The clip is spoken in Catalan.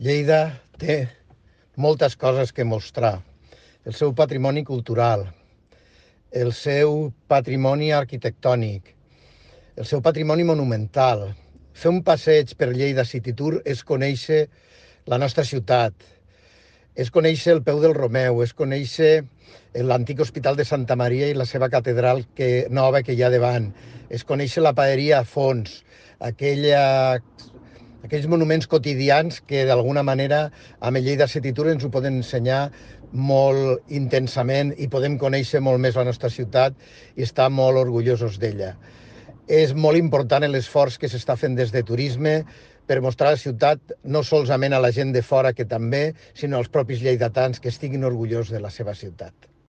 Lleida té moltes coses que mostrar. El seu patrimoni cultural, el seu patrimoni arquitectònic, el seu patrimoni monumental. Fer un passeig per Lleida City Tour és conèixer la nostra ciutat, és conèixer el peu del Romeu, és conèixer l'antic Hospital de Santa Maria i la seva catedral nova que hi ha davant, és conèixer la paeria a fons, aquells monuments quotidians que d'alguna manera amb el Lleida City Tour ens ho poden ensenyar molt intensament i podem conèixer molt més la nostra ciutat i estar molt orgullosos d'ella. És molt important l'esforç que s'està fent des de turisme per mostrar la ciutat no solament a la gent de fora, que també, sinó als propis lleidatans que estiguin orgullosos de la seva ciutat.